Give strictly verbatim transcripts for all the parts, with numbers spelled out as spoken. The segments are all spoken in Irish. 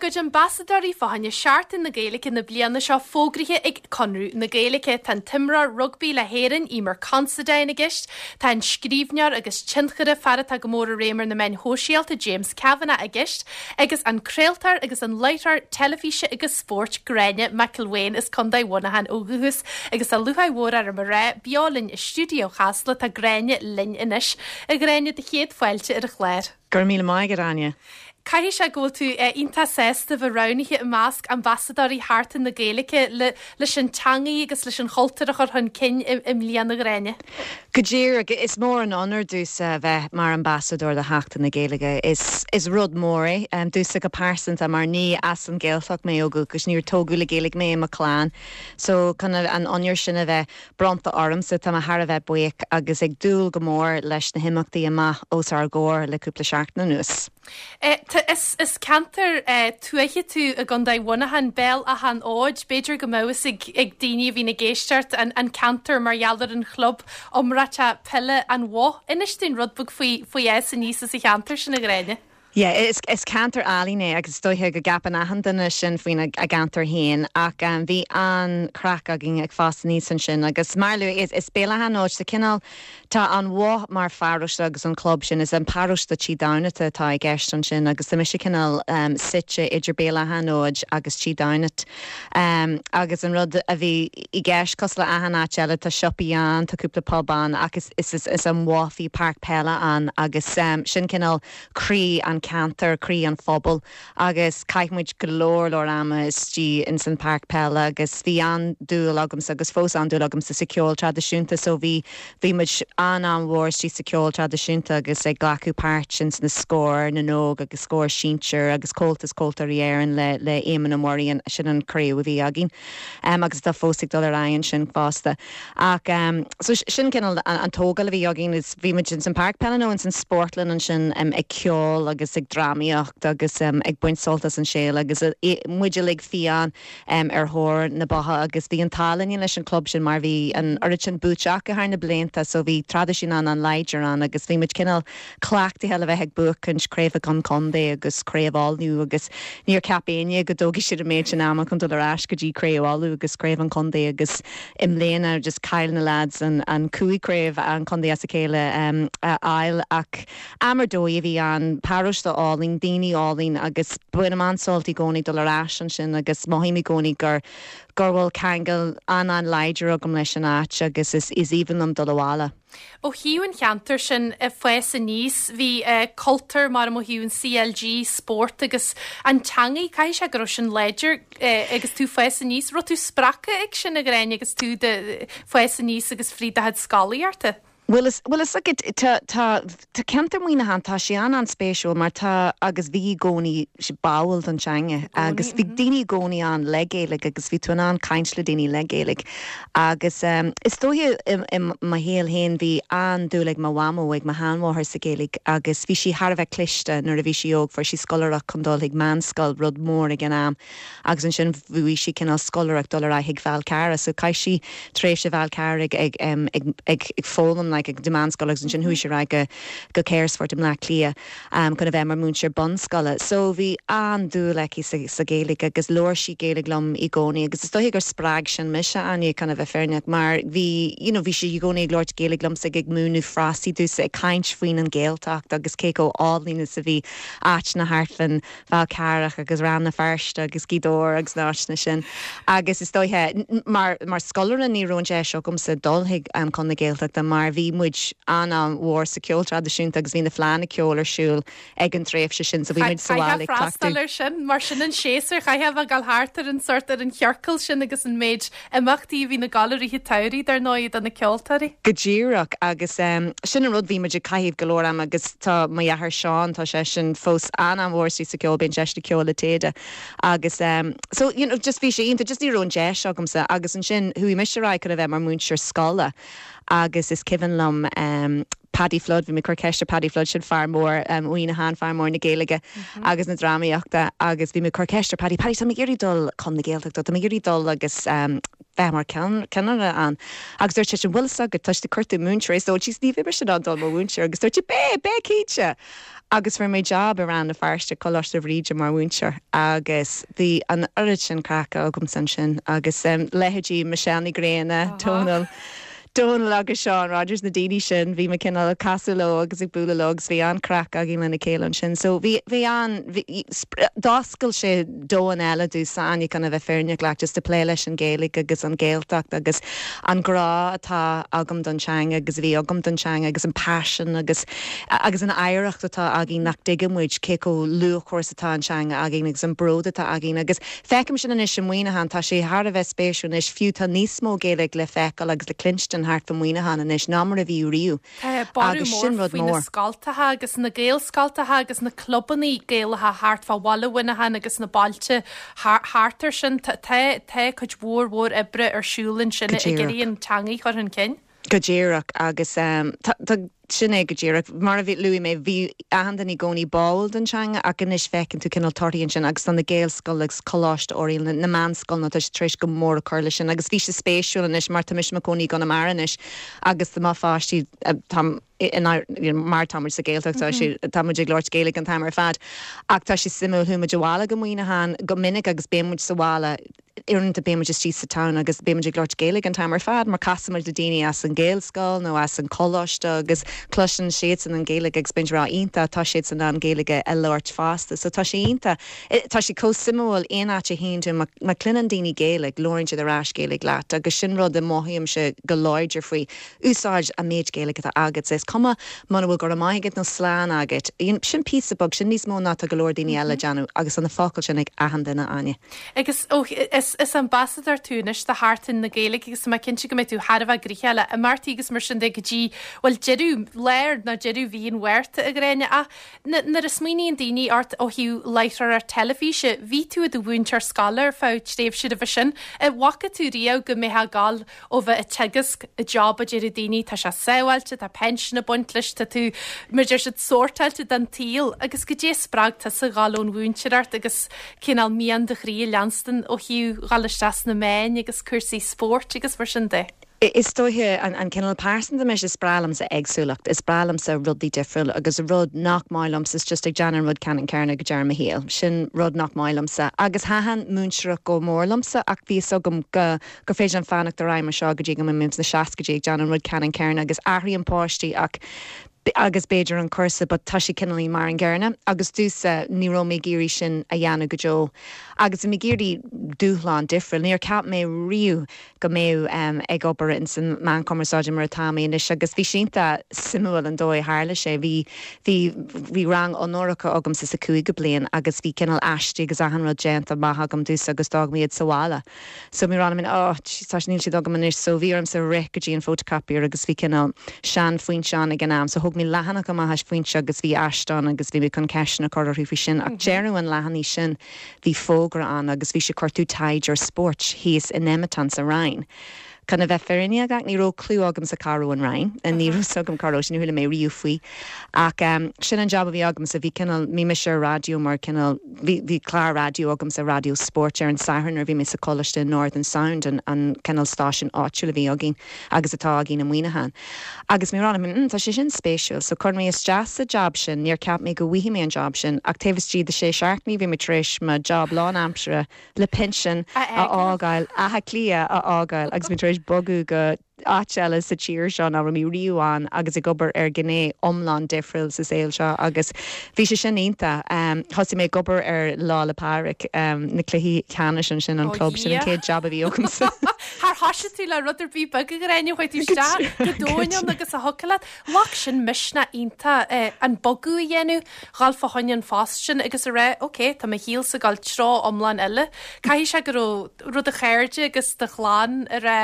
gcuid ambasadóirí fá choinne Seachtain na Gaeilge na bliana seo fógraithe ag Conradh na Gaeilge. Tá an t-imreoir rugbaí le hÉirinn Eimear Considine i gceist, tá an scríbhneoir agus tionchaire fear atá go mór i réim ar na meáin shóisialta James Kavanagh i gceist, agus an craoltóir agus an láithreoir teilifíse agus spóirt Gráinne McElwain as Contae Mhuineacháin ó dhúchas agus tá lúcháir mhór orm a rá beo linn i stiúideo Chasla tá Gráinne linn anois. A Ghráinne do chéad fáilte ar an chlár. Gur míle maith Áine. Caithfidh sé go bhfuil tú iontach sásta bheith roghnaithe i measc ambasadóirí Sheachtain na Gaeilge le leis an teanga agus leis an chultúr a chur chun cinn i mbliana a Ghráinne. Go díreach is mór an onóir domhsa bheith mar ambasadóir do Sheachtain na Gaeilge is is rud mór é um, domhsa go pearsanta mar ní as an Ghaeltacht mé ó dhúchas níor tógadh le Gaeilge mé i mo chlann. So chun an onóir sin a bheith bronnta ormsa tá mé thar a bheith buíoch agus ag dúil go mór leis na himeachtaí amach os ár gcomhair le cúpla seachtain anuas. E, is, is ceantar e, tuaithe tú i gContae Mhuineacháin Béal Átha an Fhóid, b'fhéidir go mbeadh fhios ag, ag daoine a bhíonn ag éisteacht an, an ceantar mar gheall ar an chlub iomráiteach peile An Bhoth. Inis dúinn rud beag faoi faoi fhás aníos sa cheantar sin a Ghráinne. Yeah, is, is ceantar álainn é agus dóiche go gceapann achan duine sin faoin a, a gceantar féin ach um, bhí an-chraic againn ag fás aníos ansin agus mar lu is, is Béal Átha an Fhóid sa cineál tá an Bhoth mar pharóiste agus an club sin is an paróiste Tí Damhnait atá i gceist ansin agus tá mise cineál um, suite idir Béal Átha an Fhóid agus Tí Damhnait. Um, agus an rud a bhí i gceist cosúil le achan áit eile tá siopaí ann tá cúpla pub ann agus is, is, is an Bhoth bhí páirc peile ann agus um, sin cineál croí an ceantar croí an phobal agus chaith muid go leor leor ama istigh in san páirc peile agus bhí an-dúil agamsa agus fós an-dúil agamsa sa ceol traidisiúnta so bhí bhí muid an an-mhór istigh sa ceol traidisiúnta agus ag glacadh páirt in sna Scór na nÓg agus Scór Sinsir agus Comhaltas Ceoltóirí Éireann le le Éamon Ó Muirí sin an craobh a bhí againn um, agus tá fós ag dul ar aghaidh sin fosta ach um, so sin cineál an, an tógáil a bhí againn is bhí muid in san páirc peile nó in san spórtlann ansin um, ag ceol agus ag drámaíocht agus um, ag baint sult as an saol agus uh, muid uilig fiáin um, ar thóir na beatha agus bhí an t-ádh linn leis an club sin mar bhí an oiread sin buaite acu thar na blianta so bhí traidisiún an an-láidir ann agus bhí muid cineál cleachtaithe le bheith ag buachaint craobh an chontae agus craobh Uladh agus níor cheap éinne go dtógfaidh siad an méid sin ama chun dul ar ais go dtí craobh Uladh agus craobh an chontae agus i mbliana just chaill na lads an, an cúig craobh an chontae as a chéile um, a fháil ach am ar dóigh a bhí an paróiste álainn daoine álainn agus bainim an-sult i gcónaí dul ar ais ansin agus mothaím i gcónaí gur gur bhfuil ceangal an an-láidir agam leis an áit agus is is aoibhinn liom dul abhaile. Ó thaobh an cheantar sin ag fás aníos bhí uh, cultúr mar ó thaobh an CLG spórt agus an teanga caithfidh sé go raibh sin láidir uh, agus tú fás aníos, raibh tú spreagtha ag sin a Ghráinne agus tú ag fás aníos agus fríd do scolaíocht. Well is well is tá tá tá ceantar Mhuineacháin tá sé an an-spéisiúil mar tá agus bhí i gcónaí báúil don teanga agus bhí daoine i gcónaí ann le Gaeilge agus bhí tú an caint le daoine le Gaeilge agus um, is dóiche i mo shaol féin bhí an-dúil ag mo mhamó ag mo sheanmháthair sa Ghaeilge agus bhí sí thar a bheith cliste nuair a bhí sí óg fuair sí scoláireacht chun dul ag meánscoil rud mór ag an am agus ansin bhuaigh sí cineál scoláireacht dul ar aghaidh Fál Carrach so chaith sí tréimhse Fál Carrach ag ag ag ag ag foghlaim like ag meánscoil agus ansin chuaigh sí go go Carysfort i mBleá Cliath um, chun a bheith mar múinteoir bunscoile. So bhí an-dúil aici sa, sa Ghaeilge agus labhair sí Gaeilge liom i gcónaí agus is dóiche gur spreag sin mise Áine chun a bheith fírinneach mar bhí you know, bhí sí i gcónaí ag labhairt Gaeilge liomsa ag múineadh frásaí domhsa ag caint faoin an Ghaeltacht agus cé chomh álainn is a bhí áit na harfan Fál Carrach agus Rann na Feirste agus Gaoth Dobhair agus na háiteanna sin. Agus is dóiche mar mar scoláire ní raibh an deis agamsa dul chuig um, chun na Gaeltachta mar bhí muid an-mhór sa ceol traidisiúnta agus bhí na fleánna ceoil ar siúl ag an tréimhse sin so bhí muid sa bhaile freastal ar sin mar sin an séasúr chaithfeá bheith ag dul thart ar an sort ar an chiorcal sin agus an méid imeachtaí a bhí na gailearaithe samhraidh dar ndóigh do na ceoltóirí. Go díreach agus um, sin an rud bhí muid ag caitheamh go leor am agus tá mo dheartháir Seán tá sé sin fós an-mhór sa ceol bíonn sé ag ceol le Téada agus um, so you know, just bhí sé iontach just ní raibh an deis agamsa agus ansin chuaigh mise ar aghaidh chun a bheith mar múinteoir scoile agus is cuimhin liom um, Paddy Flood bhí mé cur ceiste Paddy Flood sin fear mór um, Mhuineacháin fear mór na Gaeilge mm -hmm. agus na drámaíochta agus bhí mé cur ceiste Paddy Paddy tá mé ag iarraidh dul chun na Gaeltachta tá mé ag iarraidh dul agus um, bheith mar ceannaire ann. Agus dúirt sé bhfuil go tá tú cuartú múinteoir so ní bheidh mise in ann dul mar mhúinteoir agus dúirt beidh beidh cinnte. Agus fuair mé job i Rann na Feirste Coláiste Bhríde mar mhúinteoir agus bhí an oiread sin craic agam ansin agus um, leithéidí Michelle Ní Ghréine Dónal. Dónal agus Seán Rogers na daoine sin bhí mé cineál casadh leo agus ag bualadh leo agus bhí an-chraic againn lena chéile ansin. So bhí bhí an d'oscail sé domhan eile domhsa chun a bheith fírinneach leat just a plé leis an Ghaeilge agus an Ghaeltacht agus an grá atá agam don teanga agus bhí agam don teanga agus an passion agus agus an oidhreacht atá againn nach dtuigeann muid cé chomh luachmhar atá an teanga againn agus an bród atá againn agus feicim sin anois i Muineachán tá sé thar a bheith spéisiúil anois fiú tá níos mó Gaeilge le feiceáil agus le cluinstin thart fá Muineachán anois ná mar a bhí riamh. Agus sin rud mór. Scoltacha agus na Gaelscoltacha agus na clubanna Gaelacha thart fá bhaile Mhuineacháin agus na bailte thart air sin tá cuid mhór mhór oibre ar siúl ansin ag iarraidh an teanga a chur chun cinn. Go díreach agus um, sin é go díreach mar a bhí luaigh mé bhí achan duine i gcónaí báúil don teanga ach anois feiceann tú cineál torthaí sin agus an na Gaelscoil agus Coláiste Oiriall na meánscoil tá tar éis go mór a chur leis sin agus bhí sé spéisiúil anois mar tá mise i mo chónaí i gConamara anois agus tá mo pháistí tá mar táimid sa Ghaeltacht mm -hmm. táimid ag labhairt Gaeilge an t-am ar fad ach tá sé suimiúil chuaigh muid abhaile go Muineachán go minic agus bímid sa bhaile uaireanta bímid istigh sa town agus bímid ag labhairt Gaeilge an t-am ar fad mar casaimid le daoine as an Gaelscoil nó as an choláiste agus cloiseann siad an Ghaeilge agus bíonn rá iontach tá siad in ann Gaeilge a labhairt fosta, so tá sé iontach tá sé chomh suimiúil aon áit a théann tú má chluineann daoine Gaeilge labhraíonn siad ar ais Gaeilge leat agus sin rud a mothaímse go láidir faoi úsáid an méid Gaeilge atá agat is cuma muna bhfuil go raibh maith agat nó slán agat sin píosa beag sin níos mó ná tá go leor daoine eile déanamh agus an na focail sin ag achan duine Áine. Agus ó, is, is ambasadóir tú anois do Sheachtain na Gaeilge agus má cinnte go mbeidh tú thar a bheith gnoitheach le imeachtaí agus mar sin de go dtí bhuel deireadh léir ná deireadh mhí an Mhárta a Ghráinne ach nuair a smaoiníonn daoine ort ó thaobh láithreoir teilifíse, bhí tú i do mhúinteoir scoile ar feadh tréimhse roimhe sin, an bhfaca tú riamh go mbeifeá ag gabháil ó bheith ag teagasc i job a deir daoine tá sé sábháilte, tá pension ag baint leis tá tú mar deir siad sórtáilte don tsaol agus goidé spreag tusa gabháil ón mhúinteoireacht agus cineál mian do chroí a leanstan ó thaobh dhul isteach sna meáin agus cúrsaí spóirt agus mar sin de. Is dóiche an, an cineál pearsanta mise is breá liomsa éagsúlacht, is breá liomsa rudaí difriúil agus rud nach maith liomsa is just ag déanamh rud ceannann céanna go deireadh mo shaoil. Sin rud nach maith liomsa. Agus thaitin múinteoireacht go mór liomsa ach bhí agam go go féidir an fanacht ar aghaidh seo go dtí go mbeinn sna seascaidí ag déanamh rud ceannann céanna agus athraíonn páistí ach agus b'fhéidir an cúrsa, but tá sé cineál mar an gcéanna agus domhsa ní raibh mé ag iarraidh sin a dhéanamh go deo. Agus mé ag iarraidh dúshlán difriúil, níor cheap mé riamh go mbeadh um, ag obair in san meáin chumarsáide mar atá mé anois agus bhí sé iontach suimiúil an dóigh tharla sé bhí bhí bhí rang onóracha agam sa sa cúigiú bliain agus bhí cineál aistí agus achan rud déanta maith agam domhsa agus d'fhág mé iad sa bhaile. So mé rá min oh, tá níl siad agam anois so bhí orm sa rith go dtí an photocopier agus bhí cineál sean Foinse ag an am so thug mé leathanach amach as Foinse agus bhí aiste ann agus bhí mé chun ceisteanna a chur orthu faoi sin ach deireadh an leathanaigh sin bhí fógra ann agus bhí sé cuartú taighdeoir spóirt thíos in Nemeton sa Rinn. Chun a bheith fírinneach ní raibh clue agamsa cá raibh an Rinn an ní raibh agam cá raibh sin chuala mé riamh faoi ach um, sin an job a bhí agamsa bhí cineál bhí mise ar raidió mar cineál bhí clár raidió agamsa raidió spóirt ar an Satharn ar bhí mé sa choláiste Northern Sound an, an cineál stáisiún áitiúil a bhí againn agus atá againn i Muineachán. Agus mé rá mm, tá sé sin spéisiúil, so chuir mé isteach sa job sin níor cheap mé go bhfaighidh mé an job sin ach taobh istigh de sé seachtainí bhí mé tar éis mo job lánaimseartha le pinsean a fhágáil Áth Cliath a fhágáil agus mé tar éis bogadh go áit eile sa tír seo ná raibh mé riamh ann agus ag obair ar ghné iomlán difriúil sa saol seo agus bhí sé sin iontach um, thosaigh mé ag obair ar Lá 'le Pádraig um, na cluichí ceannais sin an club sin an chéad job a bhí agamsa. Har thosaigh tú le rud ar bith beag a Ghráinne chuaigh tú isteach go domhain agus a thucaile Lach sin misneach iontach eh, an bogadh a dhéanamh dhul fá choinne an phost sin agus a rá, Ok, tá mo shaolsa ag dul treo iomlán eile. Caithfidh sé go raibh rud do chairde agus do chlann a rá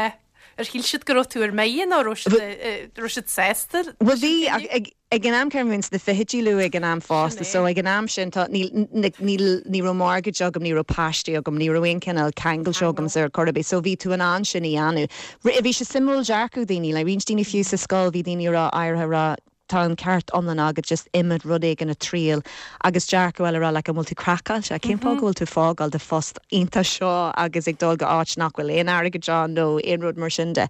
ar shíl siad go raibh tú ar mire nó raibh siad sásta? Well bhí ag ag an am céanna sna fichidí luath ag an am fosta, so ag an am sin tá ní ní raibh mortgage agam ní raibh páistí agam ní raibh aon cineál ceangal agam ar chor ar bith, so bhí tú in ann sin a dhéanamh. Bhí sé suimiúil dearcadh daoine le roinnt daoine fiú sa scoil bhí daoine rá áirithe rá tá an ceart iomlán agat just imeacht rud éigin a thriail agus dearcadh eile rá like an bhfuil tú craiceáilte cén fáth go bhfuil tú fágáil do phost iontach seo agus ag dul go áit nach bhfuil aon airgead ann nó aon rud mar sin de.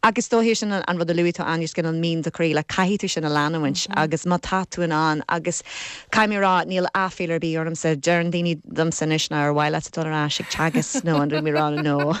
Agus dóiche sin an rud a luaigh tú an gin an mín de chroí le caithfidh tú sin a leanúint agus má tá tú in ann agus caithfidh mé rá níl aiféala ar bith ormsa deireann daoine domsa anois ná ar mhaith leat dul ar ais ag teagasc nó an mé rá no.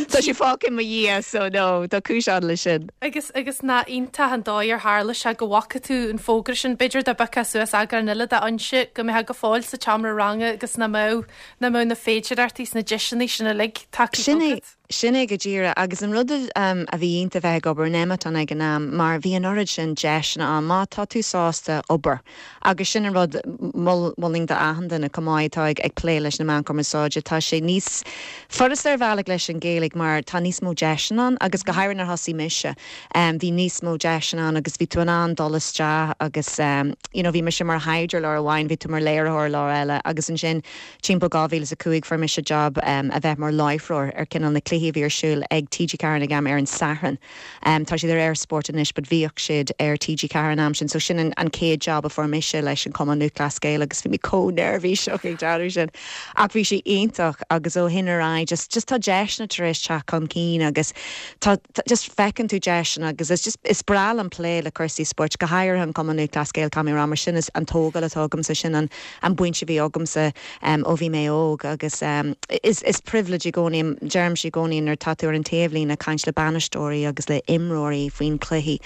Tá sé fágtha i mo dhiaidh so no tá cúis le sin. Agus agus nach iontach an dóigh ar tharla sé go bhfaca tú an fógra sin b'fhéidir dá bpiocfá suas eagrán eile de Fhoinse go mbeifeá go fóill sa tseomra ranga agus nach mbeadh nach mbeadh na féidearthachtaí sna deiseanna sin uilig tagtha Sin é sin é go díreach agus an rud um, a bhí iontach bheith ag obair in Nemeton ag an am mar bhí an oiread sin deiseanna ann má tá tú sásta obair. Agus sin an rud mholfainn d'achan duine chomh maith atá ag ag plé leis na meáin chumarsáide tá sé níos furasta ar bhealach leis an Ghaeilge mar tá níos mó deiseanna ann agus go háirithe nuair a thosaigh mise. Um, bhí níos mó deiseanna ann agus bhí tú in ann dul isteach agus um, you know, bhí mise mar thaighdeoir lá amháin, bhí tú mar léiritheoir lá eile agus ansin timpeall dhá mhíle a cúig fuair mise job um, a bheith mar láithreoir ar cineál na cluichí bhí ar siúl ag TG Ceathair ag am ar an Satharn. Um, tá siad ar Eir Sport anois, but bhíodh siad ar TG Ceathair an am sin, so sin an, an chéad job a fuair mise leis an Cumann Lúthchleas Gael agus bhí mé chomh neirbhíseach ag déanamh sin. Ach bhí sé iontach agus ó shin ar aghaidh just just tá deiseanna tar éis teacht chun cinn agus tá just feiceann tú deiseanna agus is just is breá liom plé le cúrsaí spóirt go háirithe an Cumann Lúthchleas Gael caithfidh mé rá mar sin is an tógáil atá agamsa sin an an baint a bhí agamsa um, ó bhí mé óg agus um, is, is privilege i gcónaí deirimse i gcónaí nuair tá tú ar an taobhlíne ag caint le bainisteoirí agus le imreoirí faoin cluichí.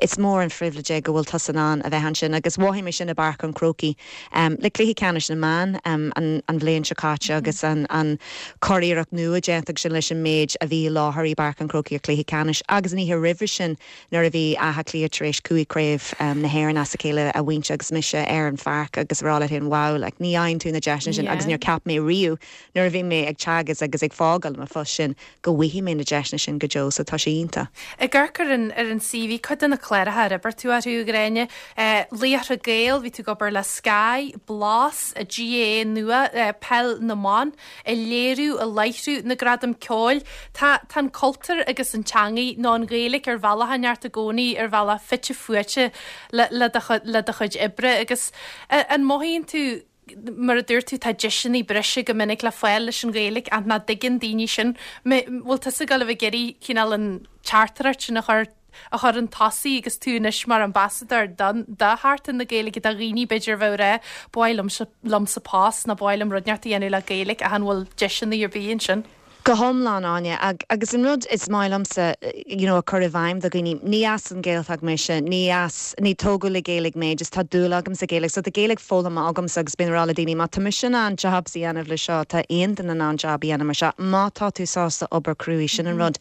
Is mór an privilege é go bhfuil tusa in ann a bheith ansin agus mhothaigh mé sin i bPáirc an Chrócaigh um, le cluichí ceannais na mban um, an, an bhliain seo caite agus an, an churiarracht nua déanta sin leis an méid a bhí láthair i bPáirc an Chrócaigh ar cluichí ceannais agus ní roimhe sin nuair a bhí Áth Cliath tar éis cúig craobh um, na hÉireann as a chéile a bhaint agus mise ar an pháirc agus rá le hin wow, like, ní fhaigheann tú na deiseanna sin agus níor cheap mé riamh nuair a bhí mé ag teagasc agus ag fágáil mo phost sin go bhfaighidh mé na deiseanna sin go deo so tá sé iontach. Ag amharc ar an ar an CV cuid de na cláracha ar oibir tú orthu Gráinne, Laochra Gael bhí tú ag obair le Sky, Blas, a GAA nua peil na mban, ag léiriú ag láithriú na gradam ceoil, Tá tá an cultúr agus an teanga nó an Ghaeilge ar bhealach neart i gcónaí ar bhealach fite fuaite le le le do chuid oibre agus an mothaíonn tú mar a dúirt tú tá deiseanna breise go minic le fáil leis an Ghaeilge an nach dtuigeann daoine sin bhfuil tusa ag gabháil a bheith ag iarraidh cineál an teachtaireacht sin a chur a chur chun tosaigh agus tú anois mar ambasadóir don do Sheachtain na Gaeilge do dhaoine b'fhéidir bheith rá ba mhaith liomsa post nó ba mhaith liom rud inteacht a dhéanamh le Gaeilge a han bhfuil deiseanna ar bith ansin. Go hiomlán Áine agus an rud is maith liomsa you know, a chur i bhfeidhm do dhaoine ní as an Ghaeltacht mise ní as ní tógadh le Gaeilge mé just tá dúil agam sa Ghaeilge so tá Gaeilge foghlamtha agamsa agus bím ag rá le daoine má tá mise in ann job a dhéanamh le seo tá aon duine in ann job a dhéanamh mar seo má tá tú sásta obair cruaidh sin an rud.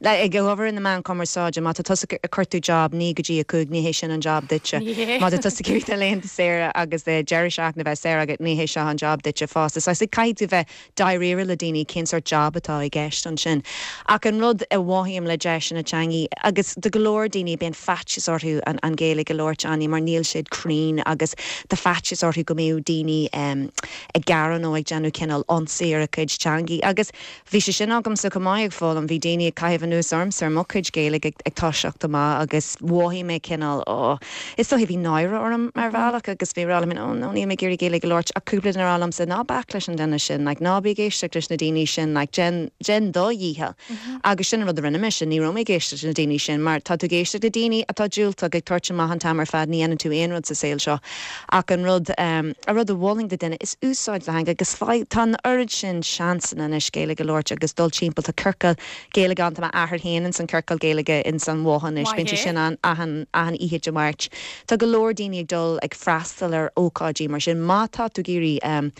Le ag obair in na meáin chumarsáide má tá tusa ag cuartú job naoi go dtí a cúig ní hé sin an job duitse. Má tá tusa ag iarraidh laethanta saora agus de deireadh seachtaine bheith saor agat ní hé seo an job duitse fosta. So caithfidh tú bheith dáiríre le daoine cén sórt job atá i gceist ansin. Ach an rud a mhothaím le deiseanna teanga agus do go leor daoine bíonn faitíos orthu an, an Ghaeilge a labhairt Áine mar níl siad cruinn agus tá faitíos orthu go mbeadh daoine um, ag gearán nó ag déanamh cineál ionsaí ar a cuid teanga agus bhí sé sin agamsa go maith ag foghlaim bhí daoine ag caitheamh anuas ormsa ar mo chuid Gaeilge ag, ag toiseacht amach agus mhothaigh mé cineál ó is dóiche bhí náire orm mar bhealach agus bhí rá oh, no níl mé ag iarraidh Gaeilge a labhairt ach cúpla duine rá liomsa ná bac leis an duine sin, like, ná bí ag éisteacht leis na daoine sin like, déan déan do dhícheall. Mm -hmm. Agus sin rud a rinne mise ní raibh mé ag éisteacht na daoine sin, mar tá tú ag éisteacht le daoine atá diúltach ag tabhairt amach an t-am ar fad ní dhéanann tú aon rud sa saol seo. Ach an rud um, a rud a mholfainn do duine is úsáid do theanga agus tá an oiread sin seansanna anois Gaeilge a labhairt agus dul timpeall tá ciorcal Gaeilge ann m'athair féin in san ciorcal Gaeilge in san bháis bíonn sin an achan achan oíche Dé Máirt. Tá go leor daoine ag dul ag freastal ar ócáidí mar sin má tá tú ag iarraidh um,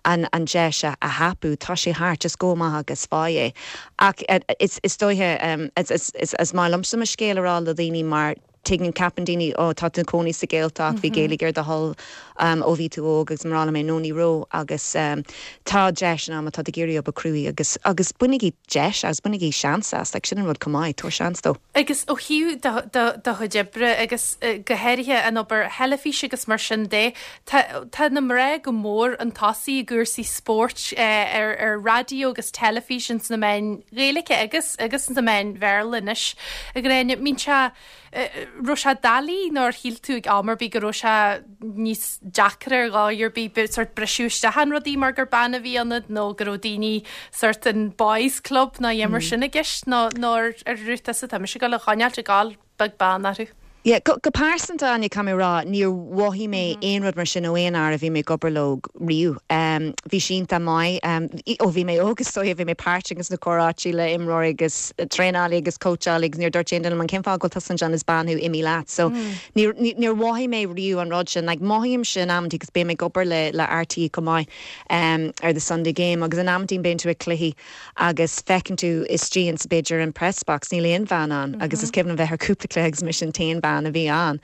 an, an deis a, a thapú tá sé thart just go maith agus faigh é. Ach uh, is, is dóiche um, is, is, is, is maith liomsa mo scéal a rá le daoine mar tuigeann ceapann daoine ó tá tú i do chónaí sa Ghaeltacht bhí Gaeilge ar do thoil um, ó bhí tú óg agus mar mé nó ní raibh agus um, tá deis ann má tá ag iarraidh obair cruaidh agus agus bainigí deis as bainigí seans as like, sin an rud chomh maith tabhair seans dó. Agus ó thaobh do chuid oibre agus go háirithe an obair theilifíse agus mar sin de tá na mná go mór chun tosaigh i gcúrsaí spóirt ar ar raidió agus teilifís sna meáin Ghaeilge agus agus na meáin Bhéarla anois. A Ghráinne mbíonn sé Raibh sé doiligh nó ar shíl tú ag am ar bith go raibh sé níos deacra ar dhóigh ar bith sort briseadh isteach in rudaí mar gur bean a bhí ionat nó go raibh daoine sort an boys club nó mar sin i gceist nó nó ar rút sa tá mise go le choinneáilt ag gabháil beag beann orthu. Yeah, go, go pearsanta Áine caithfidh mé rá níor mhothaigh mé mm -hmm. aon rud mar sin ó aon fhear a bhí mé ag obair leo riamh. Um, bhí sé iontach maith um, ó bhí mé óg so bhí mé páirteach sna comhráití le imreoirí agus traenálaithe agus cóitseálaithe agus níor dúirt aon duine an cén fáth go bhfuil tusa anseo is bean thú imigh leat. So mm. níor níor mhothaigh mé riamh an rud sin, like, mothaím sin amanta agus bím ag obair le le RTÉ go maith um, ar the Sunday game agus in amanta bíonn tú ag cluichí agus feiceann tú istigh in b'fhéidir an press box níl aon bhean ann mm -hmm. agus is cuimhin bheith ar cúpla cluiche agus mise an t-aon bean a bhí ann.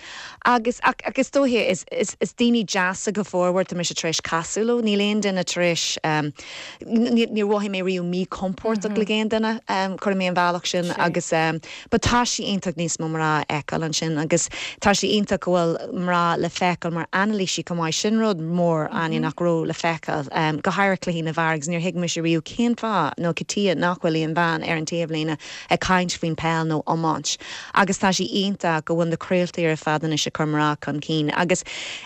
Agus agus dóiche is, is, is daoine deasa go formhór tá mise tar éis casadh leo, níl aon duine tar éis um, níor mhothaigh mé riamh míchompordach mm -hmm. le aon duine um, chuir mé an bhealach sin agus um, ba tá sé iontach níos mó mná a fheiceáil ansin agus tá sé iontach go bhfuil mná le feiceáil mar anailísí go maith sin rud mór mm -hmm. nach raibh le feiceáil um, go háirithe cluichí na bhfear agus níor thuig mise riamh cén fáth nó cad chuige nach bhfuil aon bhean ar an taobhlíne ag caint faoin peil nó iomáint. Agus tá sé iontach go bhfuil na craoltaí ar fad anois ag cur mná chun cinn agus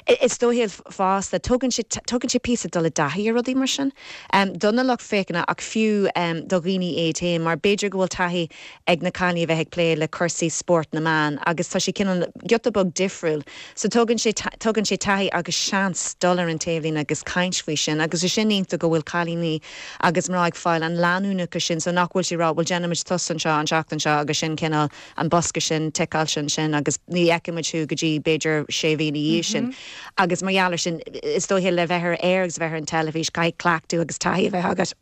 is dóiche fosta tugann sé tugann sé píosa dul i dtaithí ar rudaí mar sin. Um, don lucht féachana ach fiú um, do dhaoine é féin mar b'fhéidir go bhfuil taithí ag na cailíní bheith ag plé le cúrsaí spórt na mban agus tá sé cineál giota beag difriúil. So tugann sé tugann sé taithí agus seans dul ar an taobhlíne agus caint faoi sin agus is sin iontach go bhfuil cailíní agus mná ag fáil an leanúnachas sin so nach bhfuil sé rá bhfuil déanaimid tusa anseo an seachtain seo agus sin cineál an bosca sin ticeáil sin sin agus ní fheicimid thú go dtí b'fhéidir sé mhí mm -hmm. sin. Agus mar gheall sin is dóiche le bheith ar air agus bheith ar an teilifís caithfidh cleachtadh agus taithí a bheith agat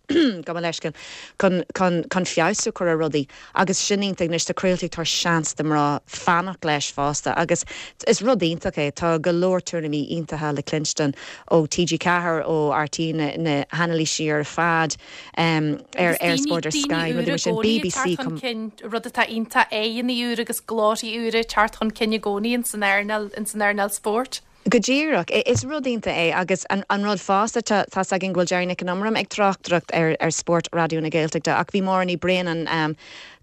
go leiscin chun chun chun feabhsú chur ar rudaí agus sin iontach anois tá craoltaí tar seans do mná fanacht leis fosta agus is rud iontach é tá go leor tuairimí iontacha le cluinstin ó TG Ceathair ó RTÉ na, na hanailísí ar fad um, ar ar Sport ar Sky rudaí sin BBC cinn rud atá iontach aghaidheanna úra agus glórtha úra teacht chun cinn i gcónaí in san earnáil in san earnáil spóirt. Go díreach is rud iontach é agus an, an rud fosta tá gin bhfuil Jerry Nic an Iomaire ag tráchtaireacht ar, ar spórt Raidió na Gaeltachta ach bhí Máire Ní Bhraonáin um,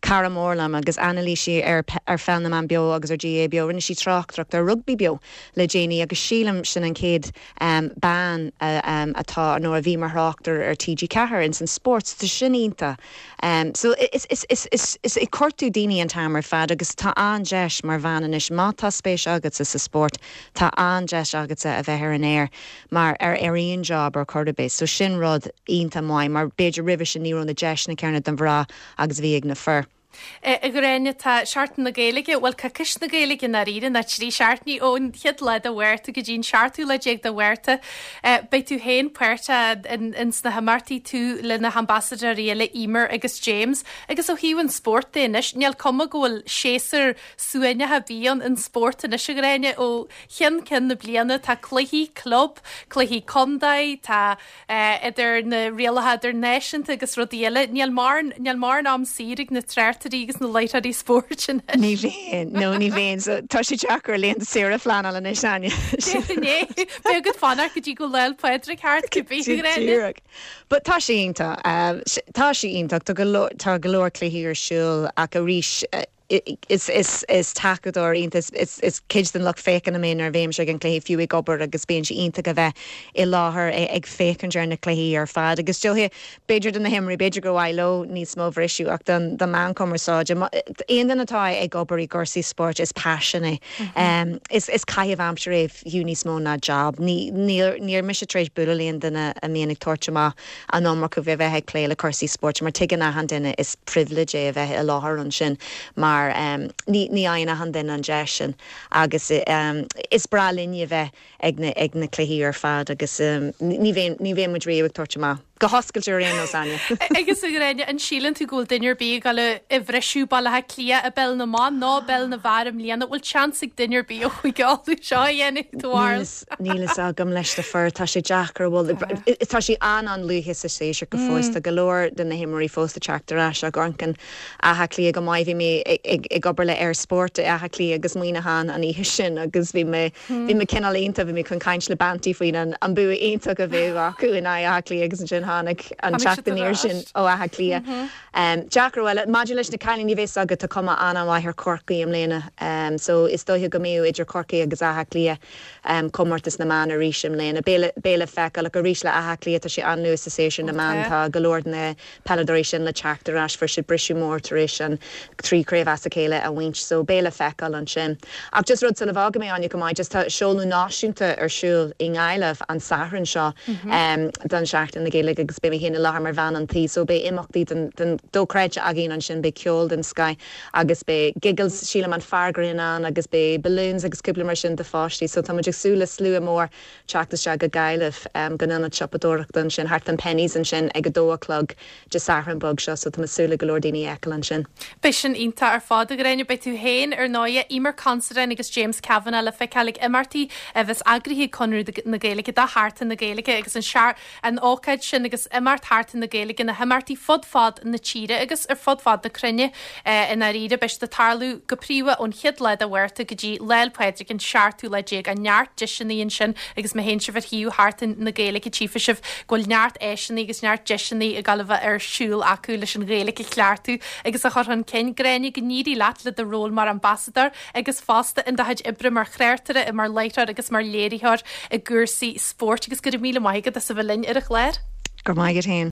cara mór liom agus anailísí ar ar Pheil na mBan Beo agus ar GAA Beo rinne sí tráchtaireacht ar rugbaí beo le déanaí agus sílim sin an chéad um, bean uh, um, atá nó a bhí mar thráchtaire ar TG Ceathair in san spórt tá sin iontach. Um, so is, is, is, is, is ag cuartú daoine an t-am ar fad agus tá an-deis mar bhean anois má tá spéis agat sa spórt tá an-deis agatsa a bheith ar an air mar ar ar aon job ar chor ar bith, so sin rud iontach maith mar b'fhéidir roimhe sin ní raibh na deiseanna céanna don mhná agus bhí ag na fir. A Ghráinne tá Seachtain na Gaeilge bhfuil coicís na Gaeilge dáiríre na trí seachtainí ón chéad lá de Mhárta go dtí'n seachtú lá déag de Mhárta. Beidh tú féin páirteach in sna himeachtaí tú le na hambasadóirí eile Emer agus James, agus ó thaobh an spórt de anois, níl cuma go bhfuil séasúr suaimhneach ar bith ann an spórt anois a Ghráinne ó cheann ceann na bliana tá cluichí club, cluichí contae, tá idir na rialacha idirnáisiúnta agus rudaí eile, níl níl mórán am saor ag na tráchtairí agus na láithreoirí spóirt anois. Ní bhíonn nó ní bhíonn so tá sé deacair laethanta saoire a phleanáil anois Áine. Beidh ort fanacht go dtí go Lá 'le Pádraig thart cibé Díreach. But tá sé iontach tá sé iontach tá tá go leor cluichí ar siúl ach arís is is is tacadóir iontach is is cuid den lucht féachana mé nuair a bhím ag an cluiche fiú ag obair agus bíonn sé iontach a bheith i láthair ag féachaint ar na cluichí ar fad agus dóiche b'fhéidir do na himreoirí b'fhéidir go bhfuil leo níos mó bhriseadh ach don don meán cumarsáide aon duine atá ag obair i gcúrsaí spóirt is paisean é um, is is caitheamh aimsire é fiú níos mó ná job ní níor níor mise tar éis bualadh le aon duine a mbíonn ag tabhairt amach an iomarca bheith bheith ag plé le cúrsaí spóirt mar tuigeann achan duine is privilege é a bheith i láthair ansin mar mar um, ní ní fhaigheann achan duine an deis sin agus um, is breá linn a bheith ag na ag na cluichí ar fad agus um, ní bheinn ní bheinn muid riamh ag tabhairt amach. Go hoscailte ar aon nós Áine. Agus a Ghráinne an síleann tú go bhfuil duine ar bith ag dul a bhriseadh Baile Átha Cliath i bpeil na mban ná peil na bhfear i mbliana bhfuil seans ag duine ar bith ó Chúige Uladh seo a dhéanamh do bharúil. Níl a fhios agam leis na fir tá sé deacair bhfuil tá sé an an-luath sa séasúr go fóill tá go leor de na himreoirí fós ag teacht ar ais ag amharc ar Áth Cliath go maith bhí mé ag obair le ar spórt Áth Cliath agus Muineachán an oíche sin agus bhí mé bhí mé cineál iontach bhí mé chun caint le Banty faoin an an bua iontach a bhí acu in Áth Cliath agus ansin tháinig an teacht aniar sin ó Áth Cliath. Um, Deacair well maidir leis na cailíní bheas agat tá cuma an-mhaith ar Corcaigh i mbliana um, so is dóiche go mbeidh idir Corcaigh agus Áth Cliath um, comórtas na mban arís i mbliana beidh le feiceáil arís le Áth Cliath tá sé an-luath sa séasúr na mban tá go leor na peileadóirí sin le teacht ar ais fuair siad briseadh mór tar éis an trí chraobh as a chéile a bhaint so beidh le feiceáil ansin. Ach just rud sula bhfága mé Áine go maith just tá seoladh náisiúnta ar siúl i nGaillimh an Satharn seo mm -hmm. um, don Seachtain na Gaeilge agus beidh mé féin i láthair mar bhean an tí so beidh imeachtaí den, den dochreidte againn ansin beidh ceol den scoth agus beidh giggles sílim an fear grinn ann agus beidh balloons agus cúpla mar sin do pháistí so tá muid ag súil le slua mór teacht isteach go Gaillimh um, go ionad siopadóireachta ansin thart an Penneys ansin ag a dó a chlog Dé Sathairn beag seo so tá súil le go leor daoine a fheiceáil ansin. Beidh sin iontach ar fad a Ghráinne beidh tú féin ar ndóigh Eimear Considine agus James Kavanagh le feiceáil ag imeachtaí a bheas eagraithe Conradh na Gaeilge do Sheachtain na Gaeilge agus an sear an ócáid sin agus imeacht Sheachtain na Gaeilge na himeachtaí fud fad na tíre agus ar fud fad na cruinne in áirithe beidh ag tarlú go príomha ón chéad lá de Mhárta go dtí Lá 'le Pádraig an seachtú lá déag an neart deiseanna ansin agus má théann sibh ar shuíomh Sheachtain na Gaeilge tchífidh sibh go bhfuil neart áiseanna agus neart deiseanna ag gabháil a bheith ar siúl acu leis an Ghaeilge a chleachtadh agus a chur chun cinn Gráinne go n-éirí leat le do ról mar ambasadóir agus fosta in do chuid oibre mar chraoltóir mar láithreoir agus mar léiritheoir i gcúrsaí spóirt agus go raibh míle maith agat as a bheith linn ar an chlár. Go maith féin.